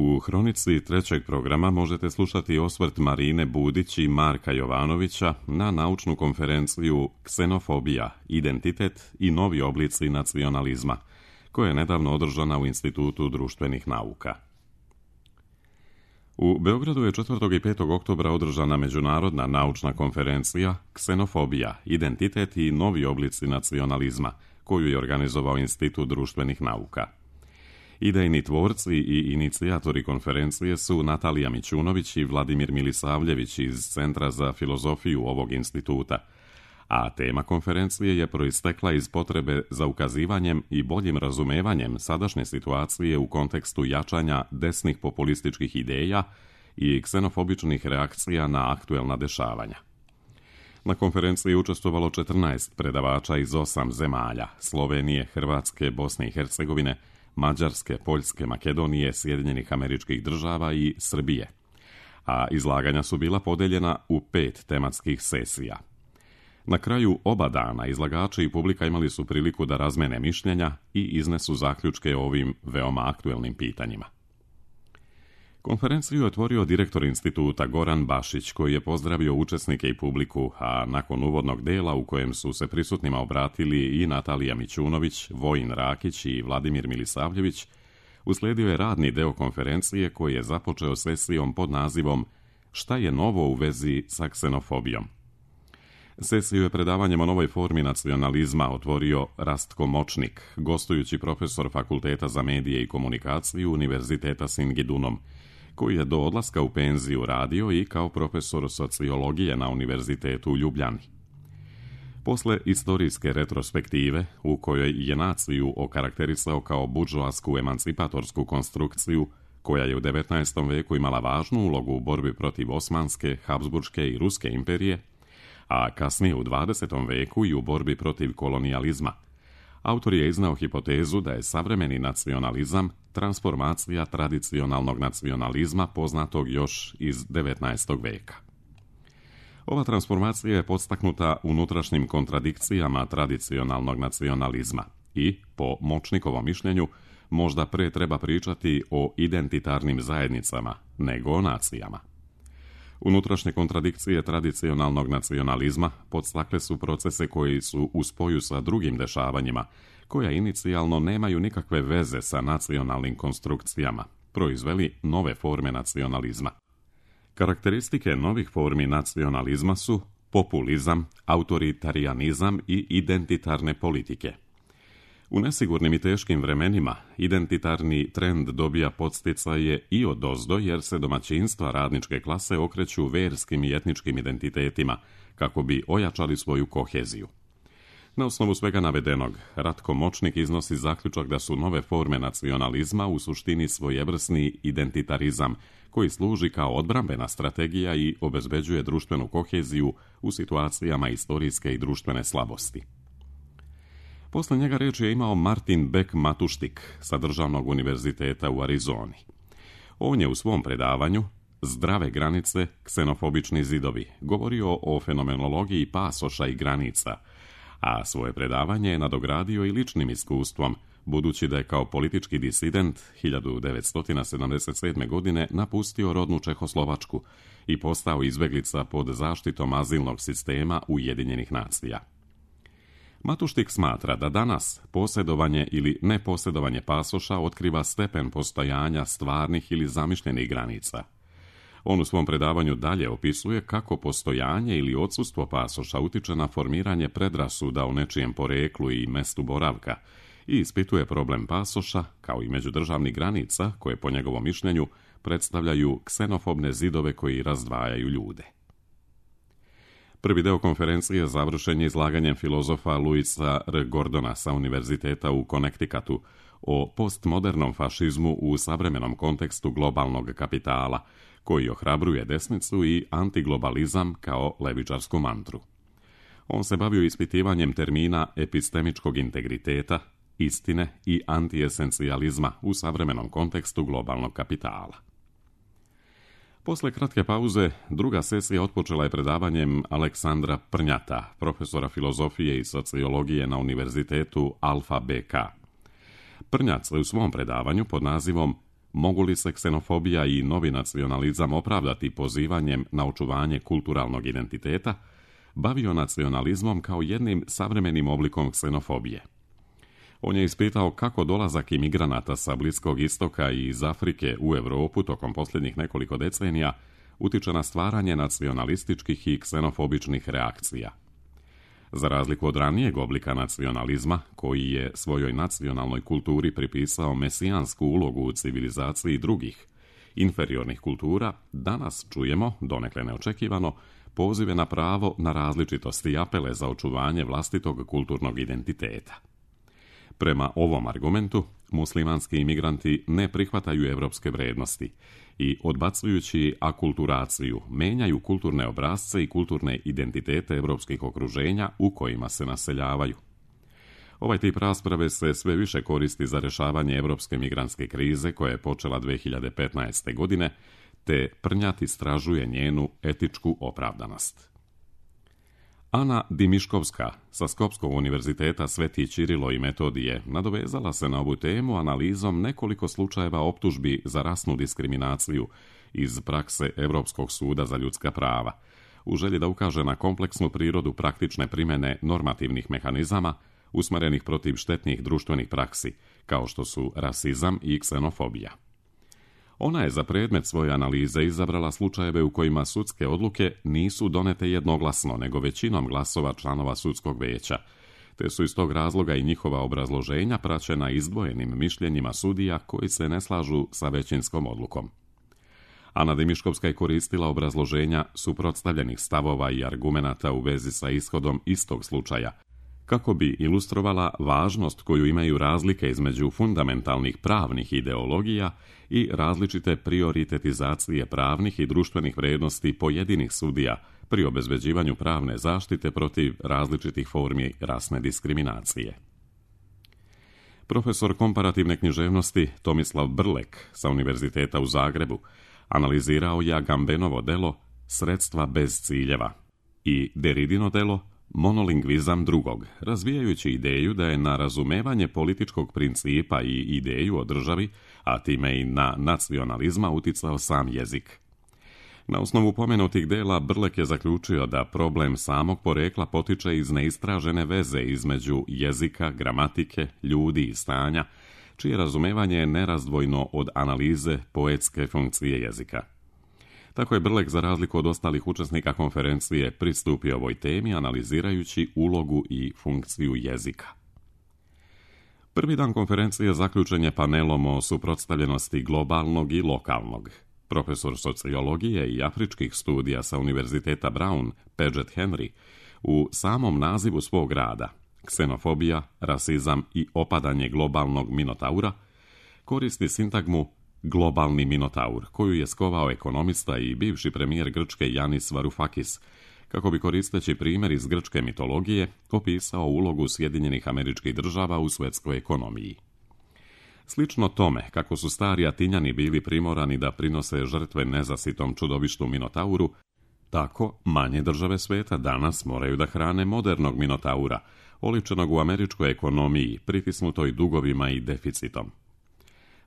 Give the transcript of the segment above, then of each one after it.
U hronici trećeg programa možete slušati osvrt Marine Budić i Marka Jovanovića na naučnu konferenciju Ksenofobija, identitet i novi oblici nacionalizma, koja je nedavno održana u Institutu društvenih nauka. U Beogradu je 4. i 5. oktobra održana međunarodna naučna konferencija Ksenofobija, identitet i novi oblici nacionalizma, koju je organizovao Institut društvenih nauka. Idejni tvorci i inicijatori konferencije su Natalija Mićunović i Vladimir Milisavljević iz Centra za filozofiju ovog instituta, a tema konferencije je proistekla iz potrebe za ukazivanjem i boljim razumevanjem sadašnje situacije u kontekstu jačanja desnih populističkih ideja i ksenofobičnih reakcija na aktuelna dešavanja. Na konferenciji je učestvovalo 14 predavača iz 8 zemalja: Slovenije, Hrvatske, Bosne i Hercegovine, Mađarske, Poljske, Makedonije, Sjedinjenih Američkih Država i Srbije, a izlaganja su bila podeljena u 5 tematskih sesija. Na kraju oba dana izlagači i publika imali su priliku da razmene mišljenja i iznesu zaključke o ovim veoma aktuelnim pitanjima. Konferenciju je otvorio direktor instituta Goran Bašić, koji je pozdravio učesnike i publiku, a nakon uvodnog dela u kojem su se prisutnima obratili i Natalija Mićunović, Vojin Rakić i Vladimir Milisavljević, uslijedio je radni deo konferencije koji je započeo sesijom pod nazivom Šta je novo u vezi sa ksenofobijom? Sesiju je predavanjem o novoj formi nacionalizma otvorio Rastko Močnik, gostujući profesor Fakulteta za medije i komunikaciju Univerziteta Singidunom, koji je do odlaska u penziju radio i kao profesor sociologije na Univerzitetu u Ljubljani. Posle istorijske retrospektive, u kojoj je naciju okarakterisao kao buržoasku emancipatorsku konstrukciju, koja je u 19. veku imala važnu ulogu u borbi protiv Osmanske, Habsburške i Ruske imperije, a kasnije u 20. veku i u borbi protiv kolonijalizma, autor je iznao hipotezu da je savremeni nacionalizam transformacija tradicionalnog nacionalizma poznatog još iz 19. veka. Ova transformacija je podstaknuta unutrašnjim kontradikcijama tradicionalnog nacionalizma i, po Močnikovom mišljenju, možda pre treba pričati o identitarnim zajednicama nego o nacijama. Unutrašnje kontradikcije tradicionalnog nacionalizma podstakle su procese koji su u spoju sa drugim dešavanjima, koja inicijalno nemaju nikakve veze sa nacionalnim konstrukcijama, proizveli nove forme nacionalizma. Karakteristike novih formi nacionalizma su populizam, autoritarianizam i identitarne politike. U nesigurnim i teškim vremenima identitarni trend dobija podsticaje i odozdo, jer se domaćinstva radničke klase okreću verskim i etničkim identitetima kako bi ojačali svoju koheziju. Na osnovu svega navedenog, Ratko Močnik iznosi zaključak da su nove forme nacionalizma u suštini svojevrsni identitarizam koji služi kao odbrambena strategija i obezbeđuje društvenu koheziju u situacijama istorijske i društvene slabosti. Posle njega reč je imao Martin Beck Matuštik sa Državnog univerziteta u Arizoni. On je u svom predavanju Zdrave granice, ksenofobični zidovi govorio o fenomenologiji pasoša i granica, a svoje predavanje je nadogradio i ličnim iskustvom, budući da je kao politički disident 1977. godine napustio rodnu Čehoslovačku i postao izbeglica pod zaštitom azilnog sistema Ujedinjenih nacija. Matuštik smatra da danas posjedovanje ili neposjedovanje pasoša otkriva stepen postojanja stvarnih ili zamišljenih granica. On u svom predavanju dalje opisuje kako postojanje ili odsustvo pasoša utiče na formiranje predrasuda o nečijem poreklu i mestu boravka i ispituje problem pasoša kao i međudržavnih granica koje po njegovom mišljenju predstavljaju ksenofobne zidove koji razdvajaju ljude. Prvi deo konferencije završen je izlaganjem filozofa Louisa R. Gordona sa Univerziteta u Connecticutu o postmodernom fašizmu u savremenom kontekstu globalnog kapitala, koji ohrabruje desnicu i antiglobalizam kao levičarsku mantru. On se bavio ispitivanjem termina epistemičkog integriteta, istine i antiesencijalizma u savremenom kontekstu globalnog kapitala. Posle kratke pauze, druga sesija otpočela je predavanjem Aleksandra Prnjata, profesora filozofije i sociologije na Univerzitetu Alfa BK. Prnjat se u svom predavanju pod nazivom mogu li se ksenofobija i novi nacionalizam opravdati pozivanjem na očuvanje kulturalnog identiteta, bavio nacionalizmom kao jednim savremenim oblikom ksenofobije. On je ispitao kako dolazak imigranata sa Bliskog istoka i iz Afrike u Europu tokom posljednjih nekoliko decenija utiče na stvaranje nacionalističkih i ksenofobičnih reakcija. Za razliku od ranijeg oblika nacionalizma, koji je svojoj nacionalnoj kulturi pripisao mesijansku ulogu u civilizaciji drugih, inferiornih kultura, danas čujemo, donekle neočekivano, pozive na pravo na različitosti i apele za očuvanje vlastitog kulturnog identiteta. Prema ovom argumentu, muslimanski imigranti ne prihvataju evropske vrijednosti i, odbacujući akulturaciju, menjaju kulturne obrasce i kulturne identitete evropskih okruženja u kojima se naseljavaju. Ovaj tip rasprave se sve više koristi za rješavanje evropske migrantske krize koja je počela 2015. godine, te prnjat istražuje njenu etičku opravdanost. Ana Dimiškovska sa Skopskog univerziteta Sveti Ćirilo i Metodije nadovezala se na ovu temu analizom nekoliko slučajeva optužbi za rasnu diskriminaciju iz prakse Europskog suda za ljudska prava, u želji da ukaže na kompleksnu prirodu praktične primjene normativnih mehanizama usmjerenih protiv štetnih društvenih praksi, kao što su rasizam i ksenofobija. Ona je za predmet svoje analize izabrala slučajeve u kojima sudske odluke nisu donete jednoglasno, nego većinom glasova članova sudskog veća, te su iz tog razloga i njihova obrazloženja praćena izdvojenim mišljenjima sudija koji se ne slažu sa većinskom odlukom. Ana Dimiškovska je koristila obrazloženja suprotstavljenih stavova i argumenata u vezi sa ishodom istog slučaja, kako bi ilustrovala važnost koju imaju razlike između fundamentalnih pravnih ideologija i različite prioritetizacije pravnih i društvenih vrijednosti pojedinih sudija pri obezbeđivanju pravne zaštite protiv različitih formi rasne diskriminacije. Profesor komparativne književnosti Tomislav Brlek sa Univerziteta u Zagrebu analizirao je Agambenovo delo Sredstva bez ciljeva i Deridino delo Monolingvizam drugog, razvijajući ideju da je na razumevanje političkog principa i ideju o državi, a time i na nacionalizma uticao sam jezik. Na osnovu pomenutih dela Brlek je zaključio da problem samog porekla potiče iz neistražene veze između jezika, gramatike, ljudi i stanja, čije razumevanje je nerazdvojno od analize poetske funkcije jezika. Tako je Brlek, za razliku od ostalih učesnika konferencije, pristupio ovoj temi analizirajući ulogu i funkciju jezika. Prvi dan konferencije zaključen je panelom o suprotstavljenosti globalnog i lokalnog. Profesor sociologije i afričkih studija sa Univerziteta Brown, Paget Henry, u samom nazivu svog rada, Ksenofobija, rasizam i opadanje globalnog minotaura, koristi sintagmu globalni minotaur, koju je skovao ekonomista i bivši premijer Grčke Yanis Varoufakis, kako bi, koristeći primjer iz grčke mitologije, opisao ulogu Sjedinjenih Američkih Država u svjetskoj ekonomiji. Slično tome, kako su stari Atinjani bili primorani da prinose žrtve nezasitom čudovištu minotauru, tako manje države svijeta danas moraju da hrane modernog minotaura, oličenog u američkoj ekonomiji, pritisnutoj dugovima i deficitom.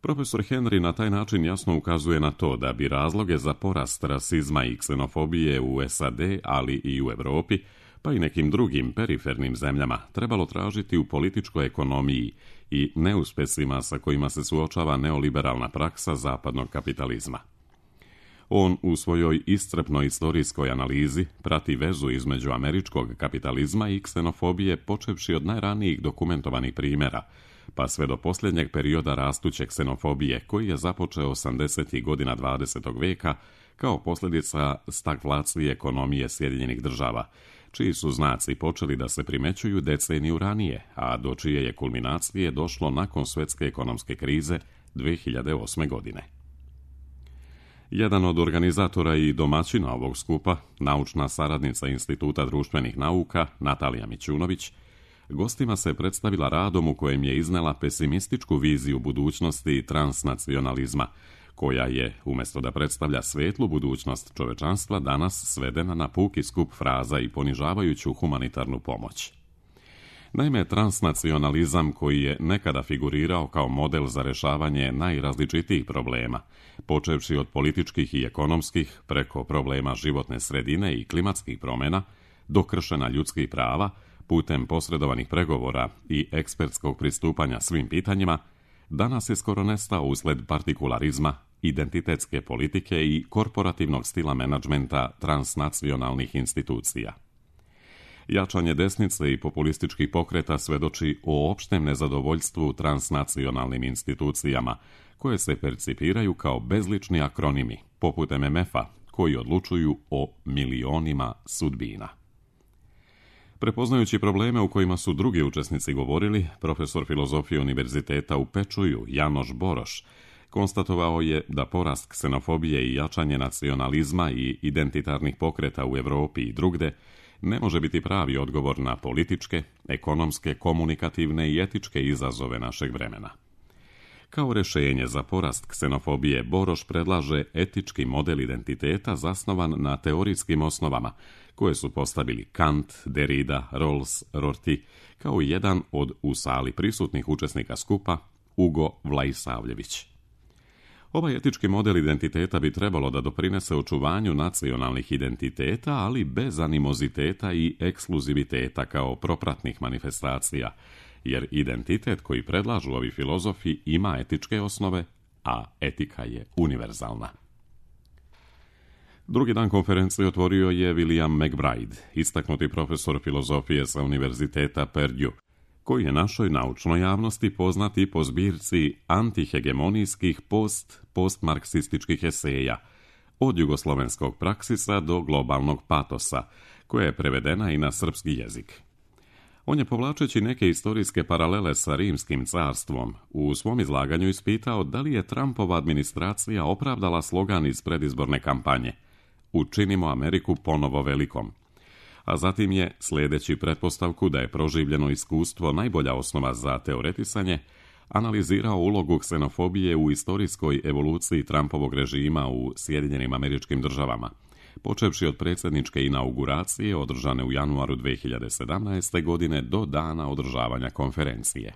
Profesor Henry na taj način jasno ukazuje na to da bi razloge za porast rasizma i ksenofobije u SAD, ali i u Europi, pa i nekim drugim perifernim zemljama, trebalo tražiti u političkoj ekonomiji i neuspjesima sa kojima se suočava neoliberalna praksa zapadnog kapitalizma. On u svojoj iscrpnoj istorijskoj analizi prati vezu između američkog kapitalizma i ksenofobije, počevši od najranijih dokumentovanih primjera, pa sve do posljednjeg perioda rastuće ksenofobije koji je započeo 80. godina 20. vijeka kao posljedica stagflacije ekonomije Sjedinjenih Država, čiji su znaci počeli da se primećuju deceniju ranije, a do čije je kulminacije došlo nakon svjetske ekonomske krize 2008. godine. Jedan od organizatora i domaćina ovog skupa, naučna saradnica Instituta društvenih nauka Natalija Mićunović, gostima se predstavila radom u kojem je iznela pesimističku viziju budućnosti transnacionalizma, koja je, umjesto da predstavlja svetlu budućnost čovečanstva, danas svedena na puki skup fraza i ponižavajuću humanitarnu pomoć. Naime, transnacionalizam koji je nekada figurirao kao model za rješavanje najrazličitijih problema, počevši od političkih i ekonomskih preko problema životne sredine i klimatskih promjena, do kršenja ljudskih prava, putem posredovanih pregovora i ekspertskog pristupanja svim pitanjima, danas je skoro nestao usled partikularizma, identitetske politike i korporativnog stila menadžmenta transnacionalnih institucija. Jačanje desnice i populističkih pokreta svedoči o opštem nezadovoljstvu transnacionalnim institucijama, koje se percipiraju kao bezlični akronimi, poput MMF-a, koji odlučuju o milionima sudbina. Prepoznajući probleme u kojima su drugi učesnici govorili, profesor filozofije Univerziteta u Pečuju, Janoš Boroš, konstatovao je da porast ksenofobije i jačanje nacionalizma i identitarnih pokreta u Europi i drugde ne može biti pravi odgovor na političke, ekonomske, komunikativne i etičke izazove našeg vremena. Kao rješenje za porast ksenofobije Boroš predlaže etički model identiteta zasnovan na teorijskim osnovama, koje su postavili Kant, Derrida, Rawls, Rorty, kao i jedan od u sali prisutnih učesnika skupa, Ugo Vlaisavljević. Ovaj etički model identiteta bi trebalo da doprinese očuvanju nacionalnih identiteta, ali bez animoziteta i ekskluziviteta kao propratnih manifestacija, jer identitet koji predlažu ovi filozofi ima etičke osnove, a etika je univerzalna. Drugi dan konferencije otvorio je William McBride, istaknuti profesor filozofije sa Univerziteta Purdue, koji je našoj naučnoj javnosti poznati po zbirci antihegemonijskih postmarksističkih eseja, od jugoslovenskog praksisa do globalnog patosa, koja je prevedena i na srpski jezik. On je, povlačeći neke istorijske paralele sa Rimskim carstvom, u svom izlaganju ispitao da li je Trumpova administracija opravdala slogan iz predizborne kampanje "Učinimo Ameriku ponovo velikom", a zatim je, sljedeći pretpostavku da je proživljeno iskustvo najbolja osnova za teoretisanje, analizirao ulogu ksenofobije u istorijskoj evoluciji Trumpovog režima u Sjedinjenim Američkim Državama, počevši od predsjedničke inauguracije održane u januaru 2017. godine do dana održavanja konferencije.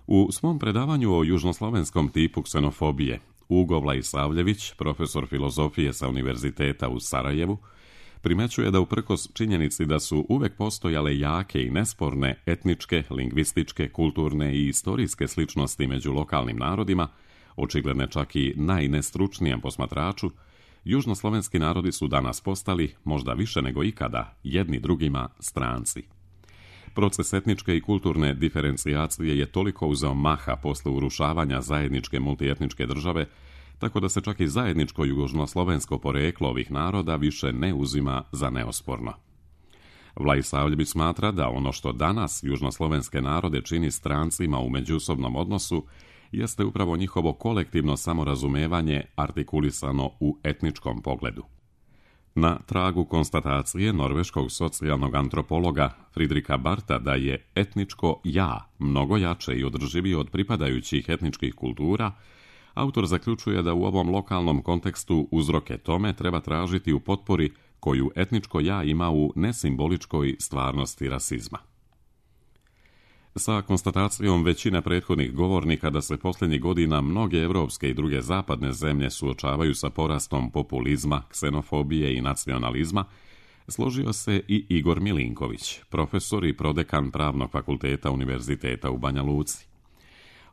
U svom predavanju o južnoslovenskom tipu ksenofobije, Ugo Vlaisavljević, profesor filozofije sa Univerziteta u Sarajevu, primećuje da uprkos činjenici da su uvek postojale jake i nesporne etničke, lingvističke, kulturne i istorijske sličnosti među lokalnim narodima, očigledne čak i najnestručnijem posmatraču, južnoslovenski narodi su danas postali, možda više nego ikada, jedni drugima stranci. Proces etničke i kulturne diferencijacije je toliko uzeo maha posle urušavanja zajedničke multietničke države, tako da se čak i zajedničko južnoslovensko poreklo ovih naroda više ne uzima za neosporno. Vlaisavljević smatra da ono što danas južnoslovenske narode čini strancima u međusobnom odnosu jeste upravo njihovo kolektivno samorazumevanje artikulisano u etničkom pogledu. Na tragu konstatacije norveškog socijalnog antropologa Fridrika Barta da je etničko ja mnogo jače i održivije od pripadajućih etničkih kultura, autor zaključuje da u ovom lokalnom kontekstu uzroke tome treba tražiti u potpori koju etničko ja ima u nesimboličkoj stvarnosti rasizma. Sa konstatacijom većine prethodnih govornika da se posljednjih godina mnoge evropske i druge zapadne zemlje suočavaju sa porastom populizma, ksenofobije i nacionalizma, složio se i Igor Milinković, profesor i prodekan Pravnog fakulteta Univerziteta u Banja Luci.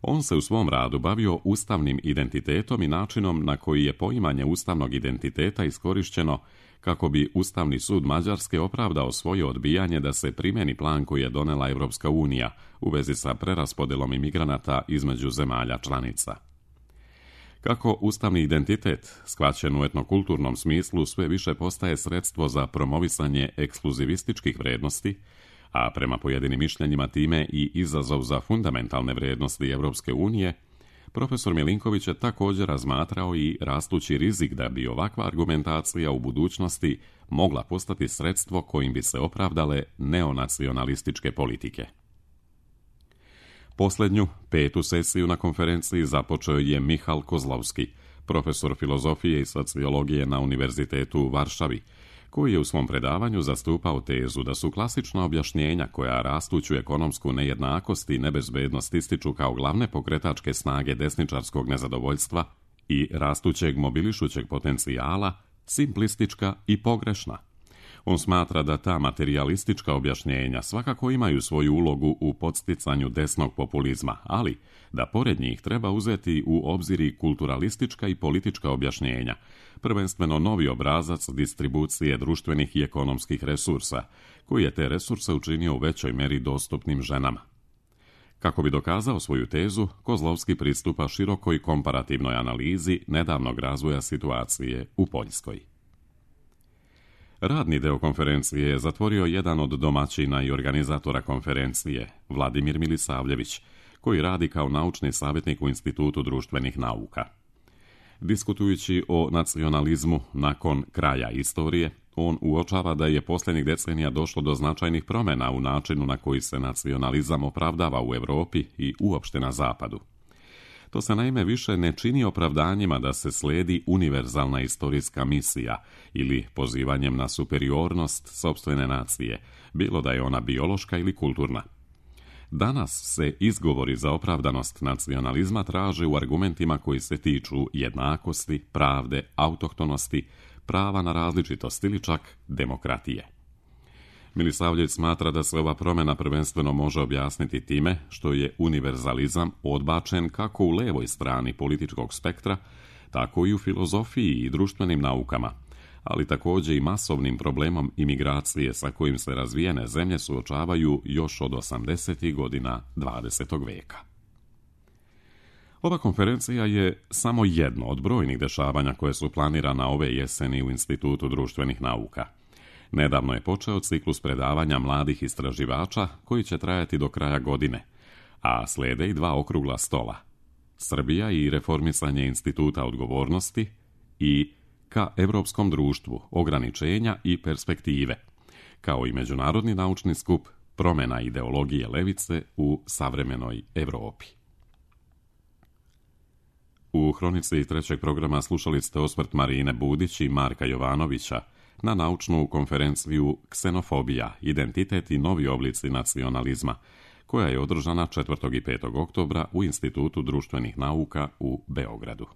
On se u svom radu bavio ustavnim identitetom i načinom na koji je poimanje ustavnog identiteta iskorišćeno kako bi Ustavni sud Mađarske opravdao svoje odbijanje da se primeni plan koji je donela Evropska unija u vezi sa preraspodelom imigranata između zemalja članica. Kako ustavni identitet, shvaćen u etnokulturnom smislu, sve više postaje sredstvo za promovisanje ekskluzivističkih vrednosti, a prema pojedinim mišljenjima time i izazov za fundamentalne vrijednosti Evropske unije, profesor Milinković je također razmatrao i rastući rizik da bi ovakva argumentacija u budućnosti mogla postati sredstvo kojim bi se opravdale neonacionalističke politike. Posljednju, 5. sesiju na konferenciji započeo je Michal Kozlovski, profesor filozofije i sociologije na Univerzitetu u Varšavi, koji je u svom predavanju zastupao tezu da su klasična objašnjenja koja rastuću ekonomsku nejednakost i nebezbednost ističu kao glavne pokretačke snage desničarskog nezadovoljstva i rastućeg mobilišućeg potencijala simplistička i pogrešna. On smatra da ta materijalistička objašnjenja svakako imaju svoju ulogu u podsticanju desnog populizma, ali da pored njih treba uzeti u obzir i kulturalistička i politička objašnjenja, prvenstveno novi obrazac distribucije društvenih i ekonomskih resursa, koji je te resurse učinio u većoj meri dostupnim ženama. Kako bi dokazao svoju tezu, Kozlovski pristupa širokoj komparativnoj analizi nedavnog razvoja situacije u Poljskoj. Radni deo konferencije je zatvorio jedan od domaćina i organizatora konferencije, Vladimir Milisavljević, koji radi kao naučni savjetnik u Institutu društvenih nauka. Diskutujući o nacionalizmu nakon kraja istorije, on uočava da je posljednjih decenija došlo do značajnih promjena u načinu na koji se nacionalizam opravdava u Europi i uopšte na Zapadu. To se naime više ne čini opravdanjima da se slijedi univerzalna istorijska misija ili pozivanjem na superiornost sopstvene nacije, bilo da je ona biološka ili kulturna. Danas se izgovori za opravdanost nacionalizma traže u argumentima koji se tiču jednakosti, pravde, autohtonosti, prava na različitost ili čak demokratije. Milisavljević smatra da se ova promjena prvenstveno može objasniti time što je univerzalizam odbačen kako u levoj strani političkog spektra, tako i u filozofiji i društvenim naukama, ali također i masovnim problemom imigracije sa kojim se razvijene zemlje suočavaju još od 80. godina 20. veka. Ova konferencija je samo jedno od brojnih dešavanja koje su planirana ove jeseni u Institutu društvenih nauka. Nedavno je počeo ciklus predavanja mladih istraživača koji će trajati do kraja godine, a slijede i 2 okrugla stola. Srbija i reformisanje instituta odgovornosti i ka Europskom društvu, ograničenja i perspektive, kao i međunarodni naučni skup promjena ideologije levice u savremenoj Europi. U hronici trećeg programa slušali ste osvrt Marine Budić i Marka Jovanovića na naučnu konferenciju Ksenofobija, identitet i novi oblici nacionalizma, koja je održana 4. i 5. oktobra u Institutu društvenih nauka u Beogradu.